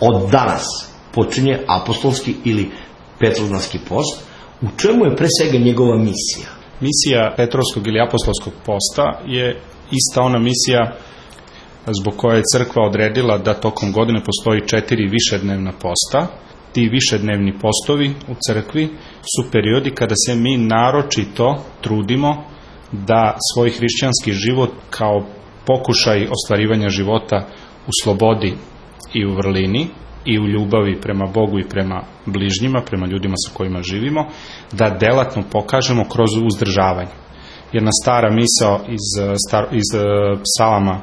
od danas počinje apostolski ili petrovdanski post. U čemu je pre svega njegova misija? Misija Petrovskog ili apostolskog posta je ista ona misija zbog koje je crkva odredila da tokom godine postoji 4 višednevna posta. Ti višednevni postovi u crkvi su periodi kada se mi naročito trudimo da svoj hrišćanski život kao pokušaj ostvarivanja života u slobodi i u vrlini i u ljubavi prema Bogu i prema bližnjima, prema ljudima sa kojima živimo, da delatno pokažemo kroz uzdržavanje. Jedna stara misao iz psalama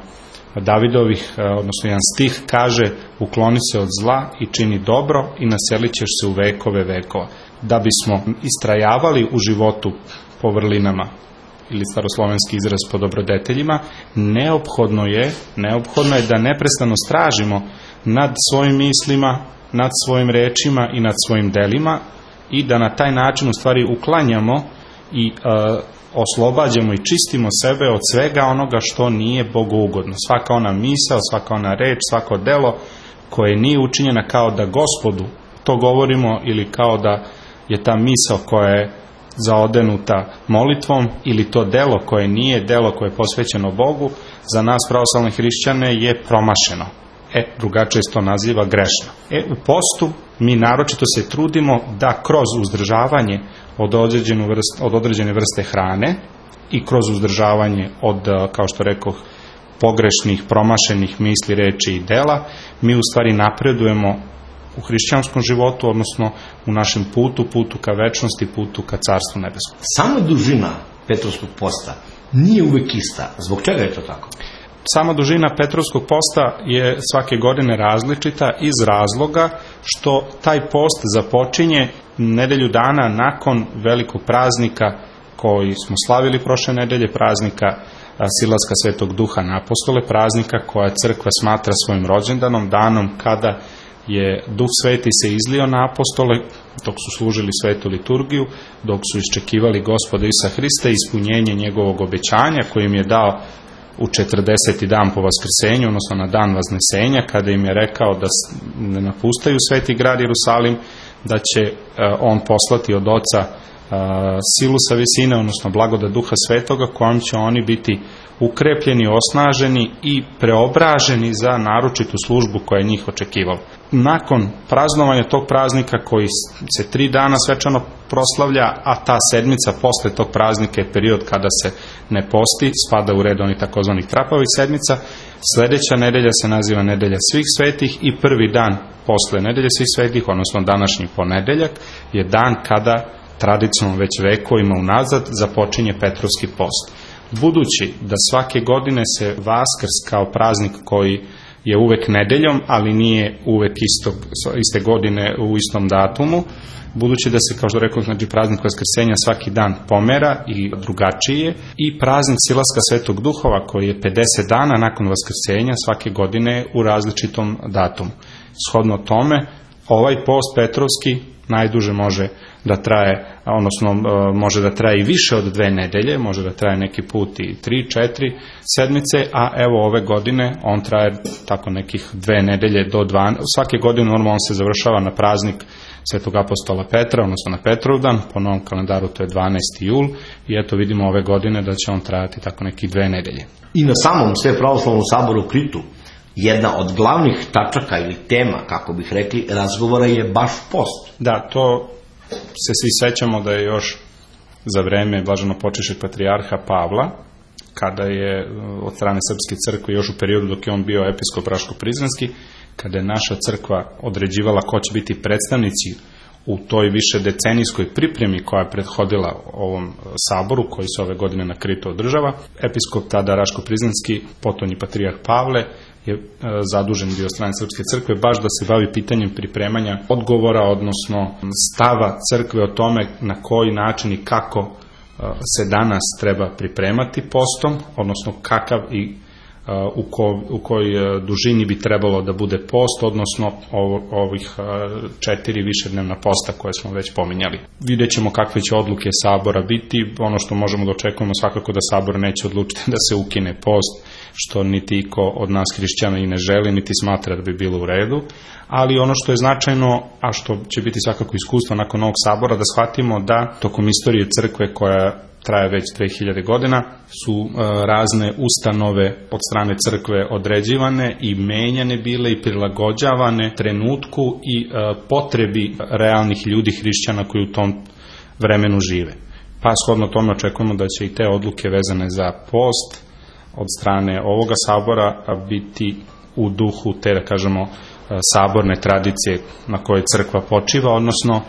Davidovih, odnosno jedan stih kaže: ukloni se od zla i čini dobro i naselit ćeš se u vekove vekova. Da bismo istrajavali u životu po vrlinama, ili staroslovenski izraz po dobrodeteljima, neophodno je da neprestano stražimo nad svojim mislima, nad svojim rečima i nad svojim delima i da na taj način u stvari uklanjamo i oslobađamo i čistimo sebe od svega onoga što nije bogougodno. Svaka ona misao, svaka ona reč, svako delo koje nije učinjena kao da Gospodu to govorimo ili kao da je ta misao koja je zaodenuta molitvom ili to delo koje nije delo koje je posvećeno Bogu, za nas pravoslavne hrišćane je promašeno. Drugačije se to naziva grešno. U postu mi naročito se trudimo da kroz uzdržavanje od određene vrste hrane i kroz uzdržavanje od, kao što rekoh, pogrešnih, promašenih misli, reči i dela, mi u stvari napredujemo u hrišćanskom životu, odnosno u našem putu ka večnosti, putu ka carstvu nebeskom. Sama dužina Petrovskog posta nije uvek ista. Zbog čega je to tako? Sama dužina Petrovskog posta je svake godine različita iz razloga što taj post započinje nedelju dana nakon velikog praznika koji smo slavili prošle nedelje, praznika Silaska Svetog Duha na apostole, praznika koja crkva smatra svojim rođendanom, danom kada je Duh Sveti se izlio na apostole dok su služili svetu liturgiju, dok su iščekivali Gospoda Isusa Hrista, ispunjenje njegovog obećanja koji im je dao u 40. dan po vaskrsenju, odnosno na dan vaznesenja, kada im je rekao da ne napustaju sveti grad Jerusalim, da će on poslati od Oca silu sa visine, odnosno blagodat Duha Svetoga, kojom će oni biti ukrepljeni, osnaženi i preobraženi za naročitu službu koja je njih očekivala. Nakon praznovanja tog praznika koji se 3 dana svečano proslavlja, a ta sedmica posle tog praznika je period kada se ne posti, spada u red onih takozvanih trapavih sedmica. Sledeća nedelja se naziva Nedelja svih svetih i prvi dan posle Nedelje svih svetih, odnosno današnji ponedeljak, je dan kada tradicionalno već vekovima unazad započinje Petrovski post. Budući da svake godine se Vaskrs kao praznik koji je uvek nedeljom, ali nije uvek iste godine u istom datumu, budući da se, kao što rekao, znači praznik Vaskrsenja svaki dan pomera i drugačiji je, i praznik Silaska Svetog Duhova koji je 50 dana nakon Vaskrsenja svake godine u različitom datumu. Shodno tome, ovaj post Petrovski najduže može da traje, odnosno može da traje i više od 2 nedelje, može da traje neki put i 3-4 sedmice, a evo ove godine on traje tako nekih 2 nedelje do 12. Svake godine normalno on se završava na praznik Svetog apostola Petra, odnosno na Petrovdan, po novom kalendaru to je 12. jul i eto vidimo ove godine da će on trajati tako nekih 2 nedelje. I na samom Svepravoslavnom saboru u Kritu jedna od glavnih tačaka ili tema, kako bih rekli, razgovora je baš post. Da, to se svi sećamo da je još za vreme blaženopočivšeg patrijarha Pavla, kada je od strane Srpske crkve, još u periodu dok je on bio episkop Raško-Prizrenski, kada je naša crkva određivala ko će biti predstavnici u toj više decenijskoj pripremi koja je prethodila ovom saboru koji se ove godine na Kritu održava. Episkop tada Raško-Prizrenski, potonji patrijarh Pavle, je zadužen bio od strane Srpske crkve baš da se bavi pitanjem pripremanja odgovora, odnosno stava crkve o tome na koji način i kako se danas treba pripremati postom, odnosno kakav i u kojoj dužini bi trebalo da bude post, odnosno ovih 4 višednevna posta koje smo već pominjali. Vidjet ćemo kakve će odluke sabora biti. Ono što možemo da očekujemo svakako da sabor neće odlučiti da se ukine post što niti iko od nas hrišćana i ne želi, niti smatra da bi bilo u redu. Ali ono što je značajno, a što će biti svakako iskustvo nakon ovog sabora, da shvatimo da tokom istorije crkve koja traje već 2000 godina, su razne ustanove od strane crkve određivane i menjane bile i prilagođavane trenutku i potrebi realnih ljudi hrišćana koji u tom vremenu žive. Pa shodno tome očekujemo da će i te odluke vezane za post od strane ovoga sabora biti u duhu te, da kažemo, saborne tradicije na kojoj crkva počiva, odnosno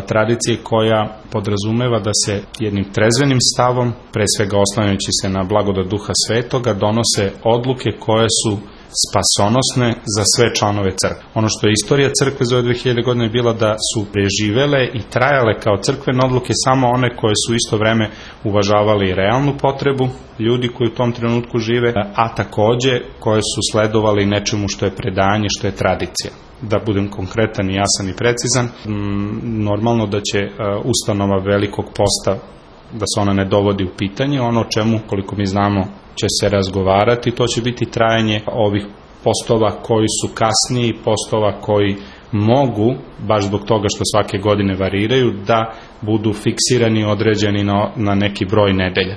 tradicije koja podrazumeva da se jednim trezvenim stavom, pre svega oslanjajući se na blagodat Duha Svetoga, donose odluke koje su spasonosne za sve članove crkve. Ono što je istorija crkve za ove 2000 godine je bila da su preživele i trajale kao crkvene odluke samo one koje su isto vreme uvažavali realnu potrebu ljudi koji u tom trenutku žive, a takođe koje su sledovali nečemu što je predanje, što je tradicija. Da budem konkretan i jasan i precizan, normalno da će ustanova Velikog posta, da se ona ne dovodi u pitanje, ono o čemu, koliko mi znamo, će se razgovarati, to će biti trajanje ovih postova koji su kasniji, postova koji mogu, baš zbog toga što svake godine variraju, da budu fiksirani, određeni na neki broj nedelja.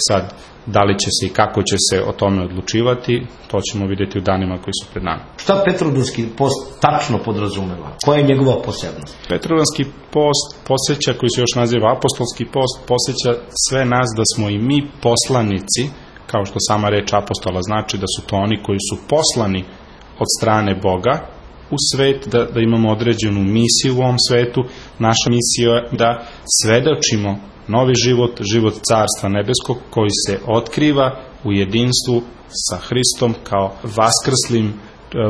Sad, da li će se i kako će se o tome odlučivati, to ćemo vidjeti u danima koji su pred nama. Šta Petrodolski post tačno podrazumeva? Koja je njegova posebnost? Petrodolski post podsjeća, koji se još naziva apostolski post, podsjeća sve nas da smo i mi poslanici, kao što sama reč apostola znači, da su to oni koji su poslani od strane Boga u svet, da imamo određenu misiju u ovom svetu. Naša misija je da svedočimo novi život, život Carstva nebeskog koji se otkriva u jedinstvu sa Hristom kao vaskrslim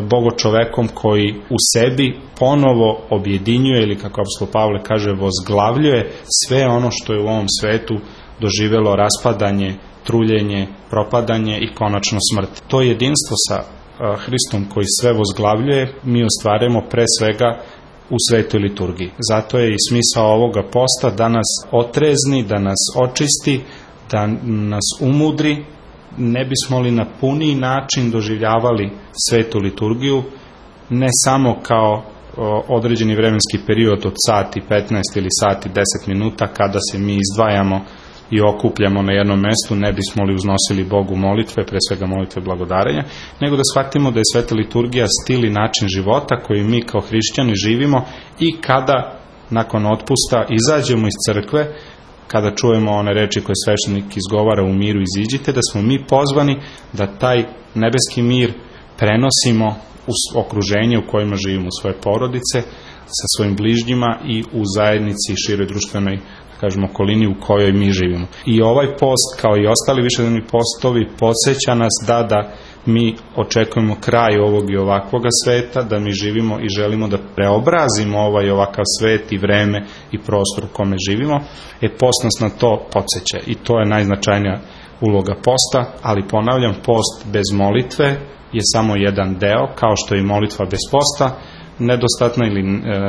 bogočovekom koji u sebi ponovo objedinjuje, ili kako apostol Pavle kaže, vozglavljuje sve ono što je u ovom svetu doživelo raspadanje, truljenje, propadanje i konačno smrt. To jedinstvo sa Hristom koji sve vozglavljuje mi ostvarujemo pre svega u svetoj liturgiji. Zato je i smisao ovoga posta da nas otrezni, da nas očisti, da nas umudri, ne bismo li na puniji način doživljavali svetu liturgiju, ne samo kao određeni vremenski period od sati 15 ili sati 10 minuta kada se mi izdvajamo i okupljamo na jednom mestu, ne bismo li uznosili Bogu molitve, pre svega molitve blagodarenja, nego da shvatimo da je sveta liturgija stil i način života koji mi kao hrišćani živimo i kada nakon otpusta izađemo iz crkve, kada čujemo one reči koje sveštenik izgovara u miru iziđite, da smo mi pozvani da taj nebeski mir prenosimo u okruženje u kojima živimo, u svoje porodice, sa svojim bližnjima i u zajednici i široj društvenoj, kažemo, okolini u kojoj mi živimo. I ovaj post, kao i ostali višednevni postovi, podsjeća nas da mi očekujemo kraj ovog i ovakvoga sveta, da mi živimo i želimo da preobrazimo ovaj i ovakav svet i vreme i prostor u kome živimo. Post nas na to podsjeća i to je najznačajnija uloga posta, ali ponavljam, post bez molitve je samo jedan deo, kao što je i molitva bez posta nedostatna ili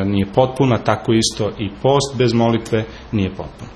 nije potpuna, tako isto i post bez molitve nije potpun.